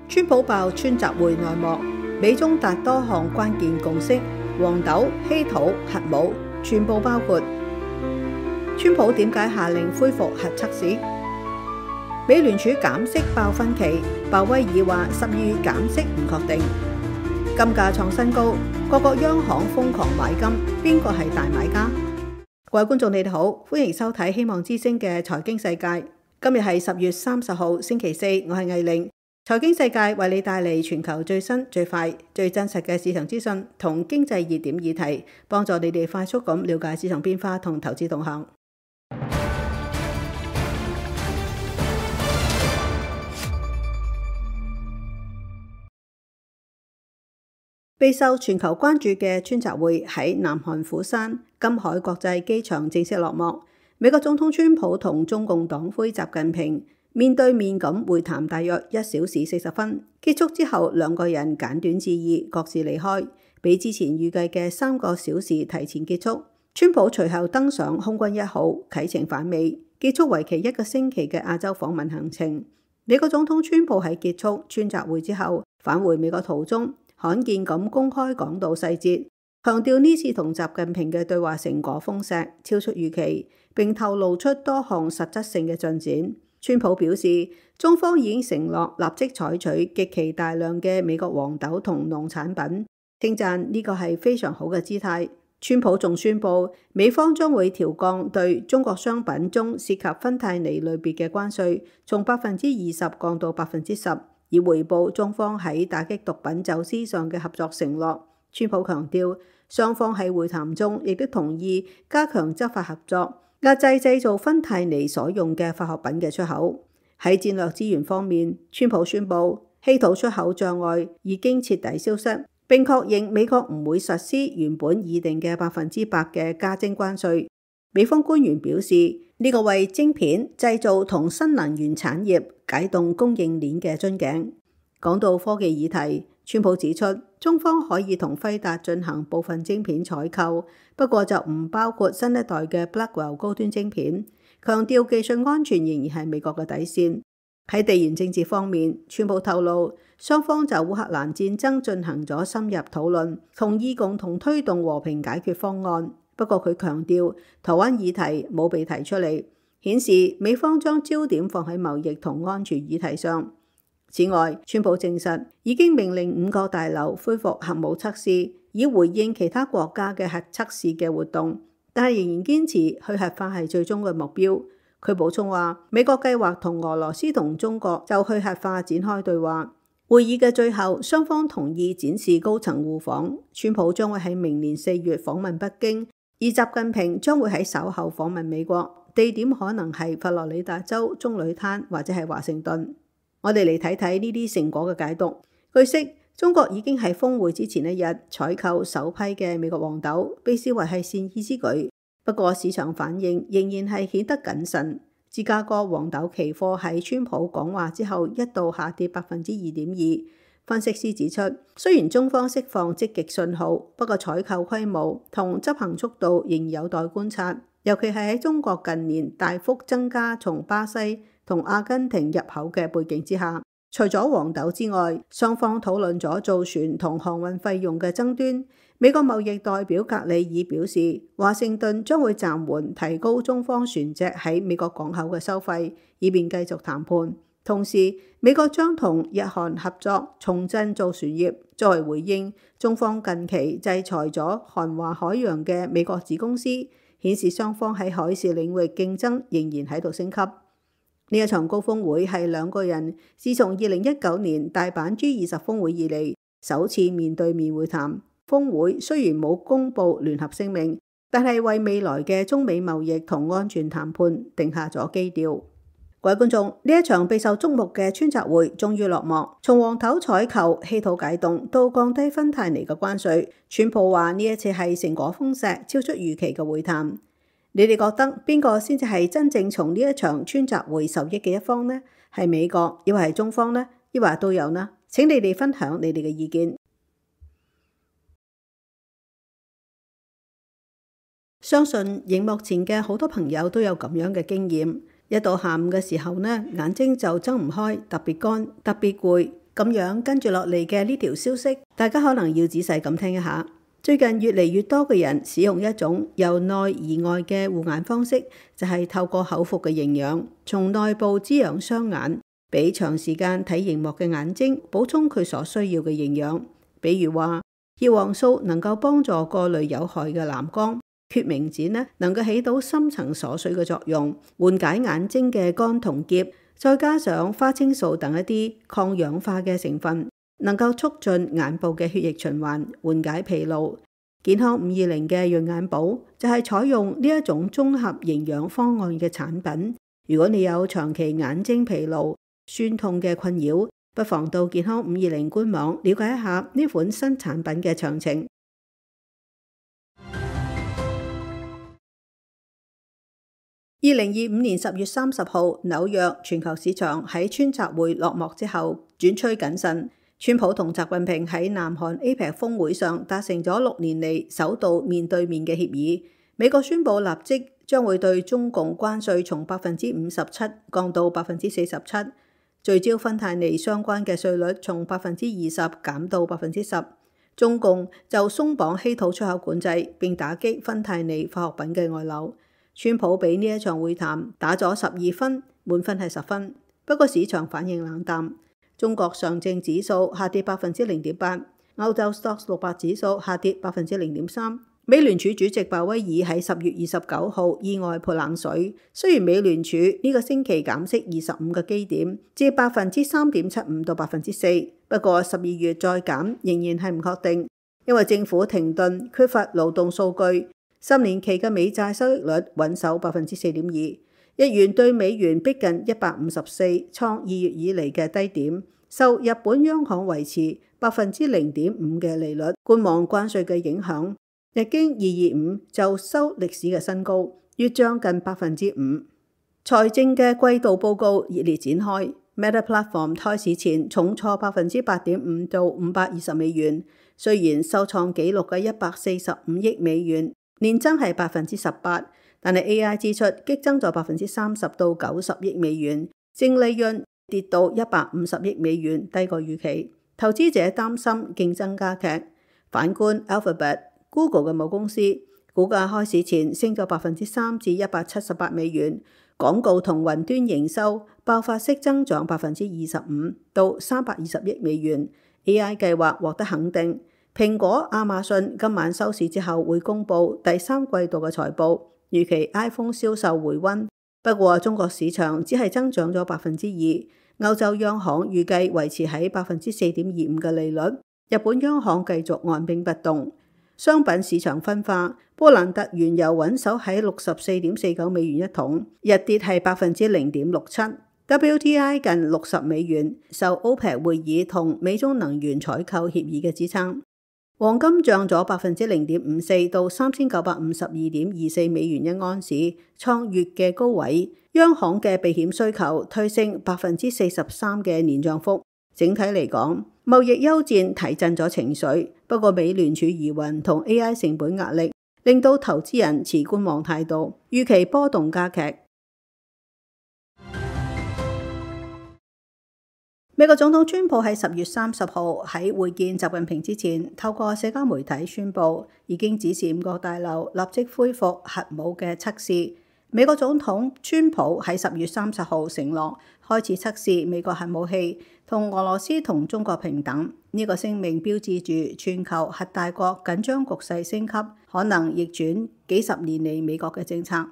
川普爆川習會內幕，美中達多項關鍵共識，黃豆、稀土、核武全部包括。川普點解下令恢復核測試？美聯儲減息爆分歧，鮑威爾話12月減息唔確定。金價創新高，各國央行瘋狂買金，邊個係大買家？各位觀眾你哋好，歡迎收睇希望之聲嘅財經世界。今日係10月30號星期四，我係藝玲。財經世界為你帶嚟全球最新、最快、最真實嘅市場資訊同經濟熱點議題，幫助你哋快速咁了解市場變化同投資動向。備受全球關注嘅川習會喺南韓釜山金海國際機場正式落幕。美國總統川普同中共黨魁習近平面對面咁會談大約1小時40分，結束之後兩個人簡短致意，各自離開，比之前預計嘅3個小時提前結束。川普隨後登上空軍1號啟程返美，結束為期1個星期嘅亞洲訪問行程。美國總統川普喺結束川習會之後返回美國途中，罕見咁公開講到細節，強調呢次同習近平嘅對話成果豐碩，超出預期，並透露出多項實質性嘅進展。川普表示，中方已經承諾立即採取極其大量嘅美國黃豆同農產品，稱讚呢個係非常好嘅姿態。川普仲宣布，美方將會調降對中國商品中涉及芬太尼類別嘅關稅，從20%降到10%。以回報中方喺打擊毒品走私上嘅合作承諾。川普強調，雙方喺會談中亦都同意加強執法合作，壓制製造芬太尼所用嘅化學品嘅出口。喺戰略資源方面，川普宣布稀土出口障礙已經徹底消失，並確認美國唔會實施原本擬定嘅100%嘅加徵關稅。美方官員表示，呢個為晶片製造同新能源產業解凍供應鏈嘅樽頸。講到科技議題，川普指出，中方可以同輝達進行部分晶片採購，不過就唔包括新一代嘅 Blackwell 高端晶片，強調技術安全仍然係美國嘅底線。喺地緣政治方面，川普透露，雙方就烏克蘭戰爭進行咗深入討論，同意共同推動和平解決方案。不過佢強調，台灣議題冇被提出嚟，顯示美方將焦點放喺貿易同安全議題上。此外，川普證實已經命令5個大樓恢復核武測試，以回應其他國家嘅核測試嘅活動，但係仍然堅持去核化係最終嘅目標。佢補充話，美國計劃同俄羅斯同中國就去核化展開對話。會議嘅最後，雙方同意展示高層互訪。川普將會喺明年4月訪問北京，而習近平將會喺稍後訪問美國，地點可能係佛羅里達州棕櫚灘或者係華盛頓。我哋嚟睇睇呢啲成果嘅解讀。據悉，中國已經喺峰會之前1日採購首批嘅美國黃豆，被視為係善意之舉。不過市場反應仍然係顯得謹慎。芝加哥黃豆期貨喺川普講話之後一度下跌2.2%。分析師指出，雖然中方釋放積極信號，不過採購規模同執行速度仍有待觀察，尤其係喺中國近年大幅增加從巴西同阿根廷入口嘅背景之下。除咗黃豆之外，雙方討論咗造船同航運費用嘅爭端。美國貿易代表格里爾表示，華盛頓將會暫緩提高中方船隻喺美國港口嘅收費，以便繼續談判。同時，美國將同日韓合作重振造船業，作為回應中方近期制裁咗韓華海洋嘅美國子公司，顯示雙方喺海事領域競爭仍然喺度升級。呢一場高峰會係兩個人自從2019年大阪 G20 峰會以嚟首次面對面會談。峰會雖然冇公布聯合聲明，但係為未來嘅中美貿易同安全談判定下咗基調。各位觀眾，呢一場備受矚目嘅川習會終於落幕，從黃豆採購、稀土解凍到降低芬太尼嘅關稅，川普話呢一次係成果豐碩、超出預期嘅會談。你哋覺得邊個先至係真正從呢一場川習會受益嘅一方呢？係美國，抑或係中方呢？抑或都有呢？請你哋分享你哋嘅意見。相信熒幕前嘅好多朋友都有咁樣嘅經驗，一到下午嘅時候呢，眼睛就睜唔開，特別乾，特別攰，咁樣跟住落嚟嘅呢條消息，大家可能要仔細咁聽一下。最近越嚟越多嘅人使用一種由內而外嘅護眼方式，就係透過口服嘅營養，從內部滋養雙眼，俾長時間睇螢幕嘅眼睛補充佢所需要嘅營養。比如話，葉黃素能夠幫助過濾有害嘅藍光，決明子呢能夠起到深層鎖水嘅作用，緩解眼睛嘅乾同澀。再加上花青素等一啲抗氧化嘅成分，能夠促進眼部嘅血液循環，緩解疲勞。健康520嘅潤眼寶就係採用呢一種綜合營養方案嘅產品。如果你有長期眼睛疲勞、酸痛嘅困擾，不妨到健康520官網了解一下呢款新產品嘅詳情。2025年10月30號，紐約全球市場喺川習會落幕之後轉趨謹慎。川普同習近平喺南韓 APEC 峰會上達成咗6年嚟首度面對面嘅協議。美國宣布立即將會對中共關稅從57%降到47%，聚焦芬太尼相關嘅稅率從20%減到10%。中共就鬆綁稀土出口管制，並打擊芬太尼化學品嘅外流。川普俾呢一場會談打咗12分，滿分係10分。不過市場反應冷淡，中國上證指數下跌0.8%，歐洲 STOXX 600指數下跌0.3%。美聯儲主席鮑威爾喺10月29號意外潑冷水，雖然美聯儲呢個星期減息25個基點，至3.75%到4%，不過12月再減仍然係唔確定，因為政府停頓，缺乏勞動數據。10年期嘅美債收益率穩守4.2%，日元對美元逼近154，創2月以嚟嘅低點。受日本央行維持0.5%嘅利率，觀望關稅嘅影響，日經225就收歷史嘅新高，越漲近5%。財政嘅季度報告熱烈展開 ，Meta Platform 開市前重挫8.5%到$520，雖然收創紀錄嘅145億美元。年增係18%，但係 AI 支出激增咗30%到90億美元，淨利潤跌到150億美元，低過預期。投資者擔心競爭加劇。反觀 Alphabet、Google 嘅母公司，股價開市前升咗3%至178美元，廣告同雲端營收爆發式增長25%到320億美元。AI 計劃獲得肯定。蘋果、亞馬遜今晚收市之後會公布第3季度嘅財報，預期 iPhone 銷售回溫。不過中國市場只係增長咗2%，歐洲央行預計維持喺4.25%嘅利率，日本央行繼續按兵不動。商品市場分化，布蘭特原油穩守喺64.49美元一桶，日跌係0.67%。WTI 近60美元，受 OPEC 會議同美中能源採購協議嘅支撐。黃金漲咗0.54%到3952.24美元一盎司，創月嘅高位。央行嘅避險需求推升43%嘅年漲幅。整體嚟講，貿易休戰提振咗情緒，不過美聯儲疑雲同 AI 成本壓力令到投資人持觀望態度，預期波動加劇。美國總統川普喺10月30號喺會見習近平之前，透過社交媒體宣布已經指示5個大樓立即恢復核武嘅測試。美國總統川普喺10月30號承諾開始測試美國核武器，同俄羅斯同中國平等。呢個聲明標誌住全球核大國緊張局勢升級，可能逆轉幾十年嚟美國嘅政策。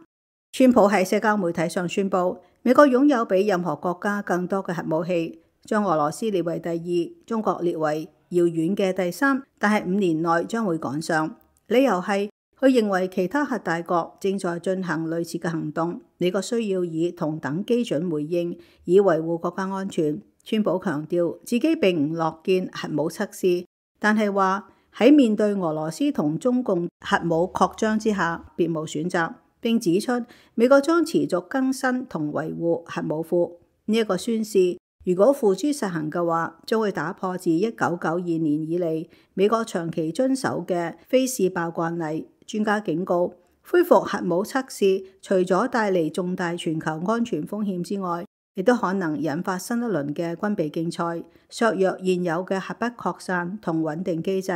川普喺社交媒體上宣布，美國擁有比任何國家更多嘅核武器，將俄羅斯列為第2，中國列為遙遠嘅第3，但係5年內將會趕上。理由係佢認為其他核大國正在進行類似嘅行動，美國需要以同等基準回應，以維護國家安全。川普強調自己並唔樂見核武測試，但係話喺面對俄羅斯同中共核武擴張之下，別無選擇。並指出美國將持續更新同維護核武庫。呢一個宣示，如果付諸實行嘅話，將會打破自1992年以嚟美國長期遵守嘅非試爆慣例。專家警告，恢復核武測試除咗帶嚟重大全球安全風險之外，亦都可能引發新一輪嘅軍備競賽，削弱現有嘅核不擴散同穩定機制。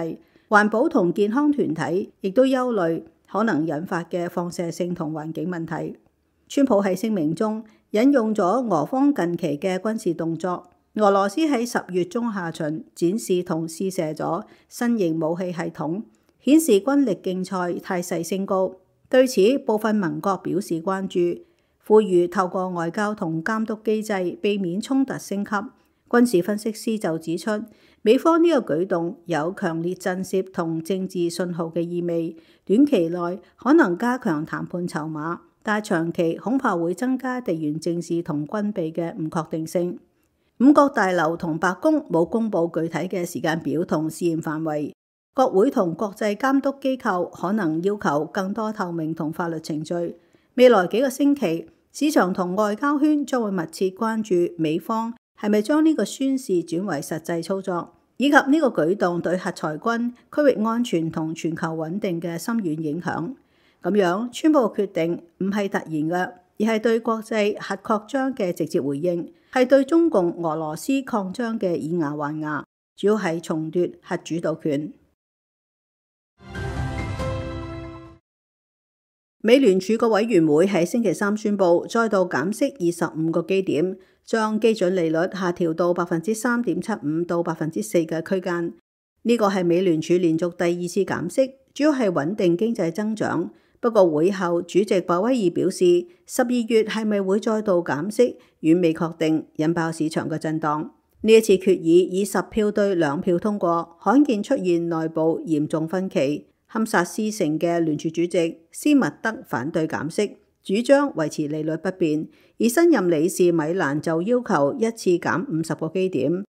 環保同健康團體亦都憂慮可能引發嘅放射性同環境問題。川普喺聲明中引用咗俄方近期嘅軍事動作，俄羅斯喺10月中下旬展示同試射咗新型武器系統，顯示軍力競賽態勢升高。對此，部分盟國表示關注，呼籲透過外交同監督機制避免衝突升級。軍事分析師就指出，美方呢個舉動有強烈震懾同政治信號嘅意味，短期內可能加強談判籌碼，但長期恐怕會增加地緣政治同軍備嘅唔確定性。五角大樓同白宮冇公布具體嘅時間表同試驗範圍，國會同國際監督機構可能要求更多透明同法律程序。未來幾個星期，市場同外交圈將會密切關注美方係咪將呢個宣示轉為實際操作，以及呢個舉動對核裁軍、區域安全同全球穩定嘅深遠影響。咁樣，川普嘅決定唔係突然嘅，而係對國際核擴張嘅直接回應，係對中共俄羅斯擴張嘅以牙還牙，主要係重奪核主導權。美聯儲個委員會喺星期三宣布再度減息25個基點，將基準利率下調到 3.75% 到 4% 嘅區間。呢個係美聯儲連續第2次減息，主要係穩定經濟增長。不過會後主席鮑威爾表示，12月係咪會再度減息，遠未確定，引爆市場嘅震盪。呢一次決議以10票對2票通過，罕見出現內部嚴重分歧。堪薩斯城嘅聯儲主席斯密德反對減息，主張維持利率不變，而新任理事米蘭就要求一次減50個基點。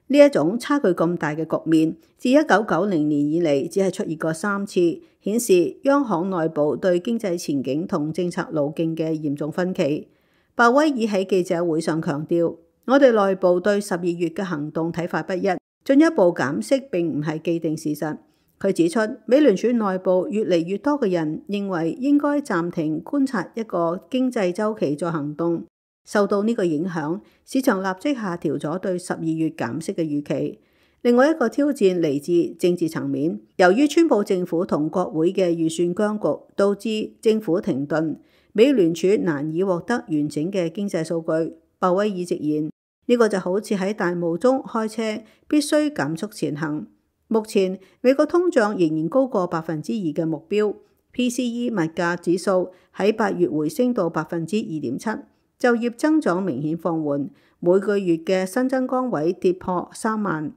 呢一種差距咁大嘅局面，自1990年以嚟只係出現過3次，顯示央行內部對經濟前景同政策路徑嘅嚴重分歧。鮑威爾喺記者會上強調，我哋內部對12月嘅行動睇法不一，進一步減息並唔係既定事實。佢指出，美聯儲內部越嚟越多嘅人認為應該暫停觀察一個經濟週期再行動。受到呢個影響，市場立即下調咗對12月減息嘅預期。另外一個挑戰嚟自政治層面，由於川普政府同國會嘅預算僵局，導致政府停頓，美聯儲難以獲得完整嘅經濟數據。鮑威爾直言，呢個就好似喺大霧中開車，必須減速前行。目前美國通脹仍然高過2%嘅目標 ，PCE 物價指數喺8月回升到 2.7%， 就業增長明顯放緩，每個月嘅新增崗位跌破3萬。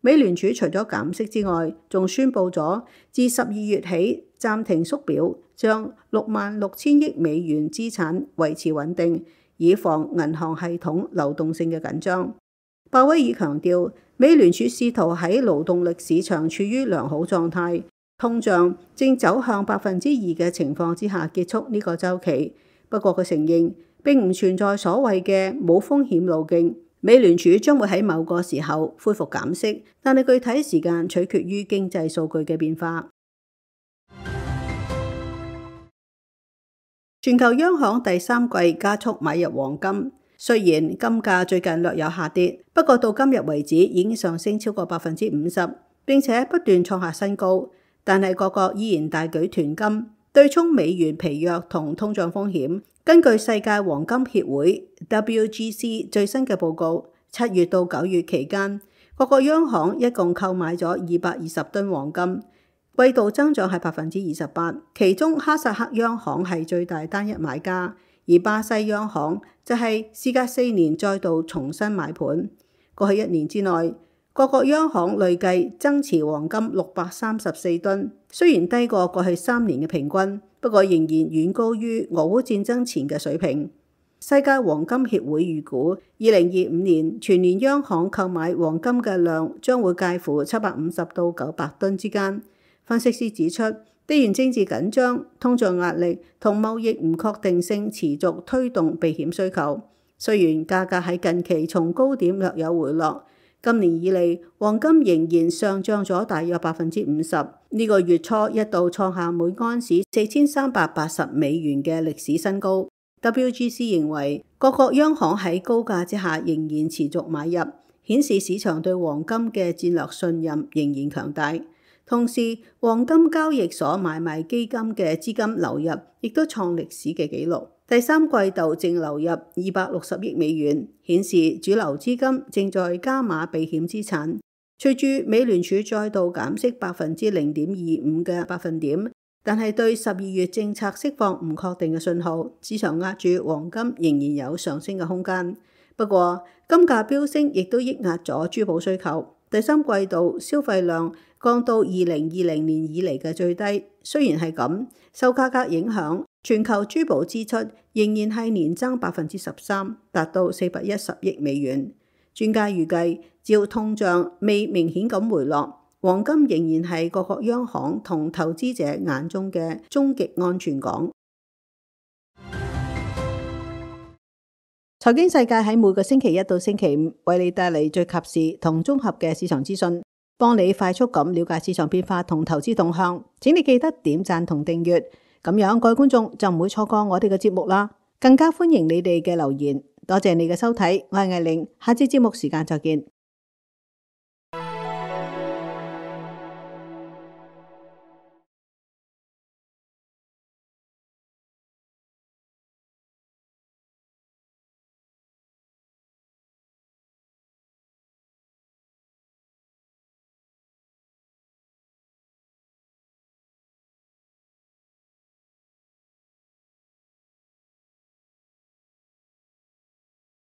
美聯儲除咗減息之外，仲宣布咗自12月起暫停縮表，將66,000億美元資產維持穩定，以防銀行系統流動性嘅緊張。鮑威爾強調，美聯儲試圖喺勞動力市場處於良好狀態，通脹正走向 2% 嘅情況之下結束呢個週期。不過佢承認並唔存在所謂嘅冇風險路徑，美聯儲將會喺某個時候恢復減息，但係具體時間取決於經濟數據嘅變化。全球央行第3季加速買入黃金。雖然金價最近略有下跌，不過到今日為止已經上升超過 50%， 並且不斷創下新高。但係各國依然大舉囤金，對沖美元疲弱同通脹風險。根據世界黃金協會 WGC 最新嘅報告，7月到9月期間，各國央行一共購買咗220噸黃金，季度增長係 28%， 其中哈薩克央行係最大單一買家。而巴西央行就係事隔4年再度重新買盤。過去1年之內，各國央行累計增持黃金634噸，雖然低過過去3年嘅平均，不過仍然遠高於俄烏戰爭前嘅水平。世界黃金協會預估，2025年全年央行購買黃金嘅量將會介乎750到900噸之間。分析師指出，地緣政治緊張、通脹壓力同貿易唔確定性持續推動避險需求。雖然價格喺近期從高點略有回落，今年以嚟黃金仍然上漲咗大約 50%。呢個月初一度創下每盎司4380美元嘅歷史新高。WGC 認為各國央行喺高價之下仍然持續買入，顯示市場對黃金嘅戰略信任仍然強大。同時，黃金交易所買賣基金嘅資金流入亦都創歷史嘅紀錄。第三季度淨流入$260億，顯示主流資金正在加碼避險資產。隨住美聯儲再度減息0.25嘅百分點，但係對12月政策釋放唔確定嘅信號，市場壓住黃金仍然有上升嘅空間。不過，金價飆升亦都抑壓咗珠寶需求。第三季度消費量降到2020年以嚟嘅最低。雖然係咁，受價格影響，全球珠寶支出仍然係年增13%，達到410億。專家預計，只要通脹未明顯咁回落，黃金仍然係各國央行同投資者眼中嘅終極安全港。財經世界喺每個星期一到星期五為你帶嚟最及時同綜合嘅市場資訊，幫你快速咁了解市場變化同投資動向。請你記得點讚同訂閱，咁樣各位觀眾就唔會錯過我哋嘅節目啦。更加歡迎你哋嘅留言。多謝你嘅收睇，我係艾玲，下次節目時間再見。